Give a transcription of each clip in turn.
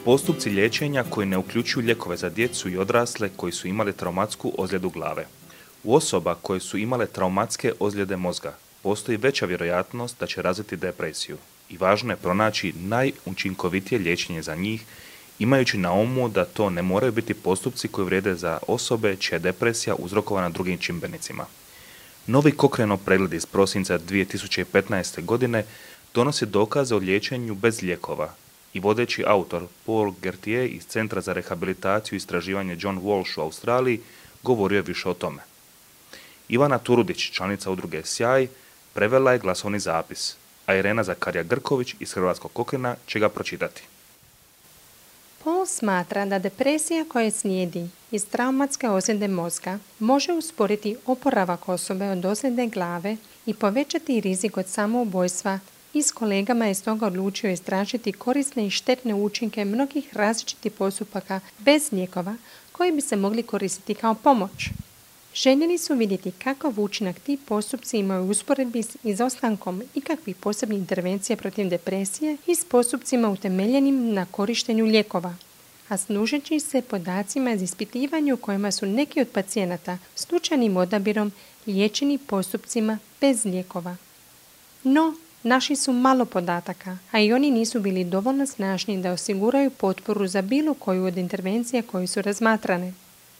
Postupci liječenja koji ne uključuju lijekove za djecu i odrasle koji su imali traumatsku ozljedu glave. U osoba koje su imale traumatske ozljede mozga postoji veća vjerojatnost da će razviti depresiju i važno je pronaći najučinkovitije liječenje za njih, imajući na umu da to ne moraju biti postupci koji vrijede za osobe čija je depresija uzrokovana drugim čimbenicima. Novi Cochraneov pregled iz prosinca 2015. godine donosi dokaze o liječenju bez lijekova i vodeći autor Paul Gertier iz Centra za rehabilitaciju i istraživanje John Walsh u Australiji govorio je više o tome. Ivana Turudić, članica udruge Sjaj, prevela je glasovni zapis, a Irena Zakarija-Grković iz Hrvatskog Cochranea će ga pročitati. Paul smatra da depresija koja slijedi iz traumatske ozljede mozga može usporiti oporavak osobe od ozljede glave i povećati rizik od samoubojstva i s kolegama je stoga odlučio istražiti korisne i štetne učinke mnogih različitih postupaka bez lijekova koji bi se mogli koristiti kao pomoć. Željeli su vidjeti kakav učinak ti postupci imaju u usporedbi s izostankom ikakvih posebnih intervencija protiv depresije i s postupcima utemeljenim na korištenju lijekova, a služeći se podacima iz ispitivanja u kojima su neki od pacijenata slučajnim odabirom liječeni postupcima bez lijekova. No, našli su malo podataka, a i oni nisu bili dovoljno snažni da osiguraju potporu za bilo koju od intervencija koje su razmatrane.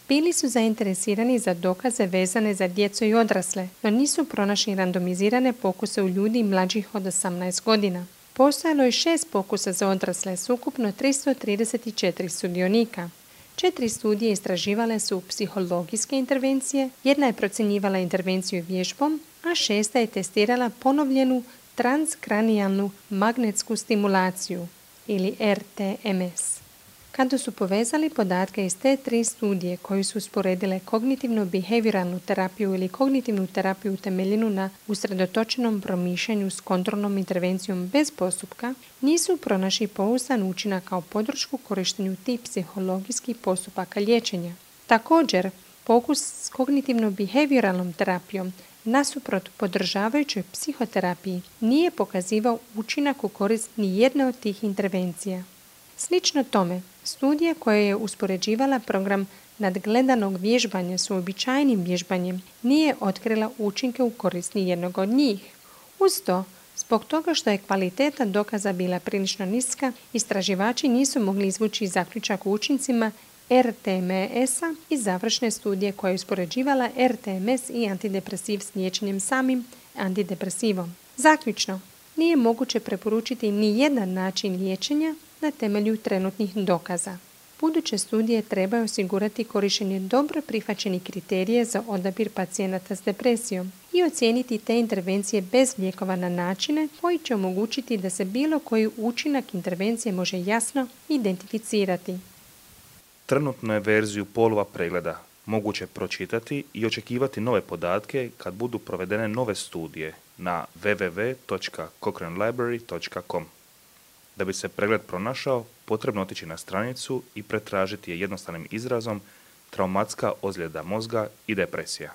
Bili su zainteresirani za dokaze vezane za djecu i odrasle, no nisu pronašli randomizirane pokuse u ljudi mlađih od 18 godina. Postojalo je 6 pokusa za odrasle s ukupno 334 sudionika. 4 studije istraživale su psihologijske intervencije, jedna je procjenjivala intervenciju vježbom, a 6 je testirala ponovljenu transkranijalnu magnetsku stimulaciju ili RTMS. Kada su povezali podatke iz te 3 studije koje su usporedile kognitivno-behavioralnu terapiju ili kognitivnu terapiju utemeljenu na usredotočenom promišljanju s kontrolnom intervencijom bez postupka, nisu pronašli pouzdan učinak kao podršku korištenju tih psihologijskih postupaka liječenja. Također, pokus s kognitivno-behavioralnom terapijom nasuprot podržavajućoj psihoterapiji nije pokazivao učinak u korist ni jedne od tih intervencija. Slično tome, studija koja je uspoređivala program nadgledanog vježbanja s uobičajenim vježbanjem nije otkrila učinke u korist ni jednog od njih. Uz to, zbog toga što je kvaliteta dokaza bila prilično niska, istraživači nisu mogli izvući zaključak o učincima RTMS-a i završne studije koja je uspoređivala RTMS i antidepresiv s liječenjem samim antidepresivom. Zaključno, nije moguće preporučiti ni jedan način liječenja na temelju trenutnih dokaza. Buduće studije trebaju osigurati korištenje dobro prihvaćenih kriterija za odabir pacijenata s depresijom i ocijeniti te intervencije bez lijekova na načine koji će omogućiti da se bilo koji učinak intervencije može jasno identificirati. Trenutno je verziju Paulova pregleda moguće pročitati i očekivati nove podatke kad budu provedene nove studije na www.cochranelibrary.com. Da bi se pregled pronašao, potrebno otići na stranicu i pretražiti je jednostavnim izrazom traumatska ozljeda mozga i depresija.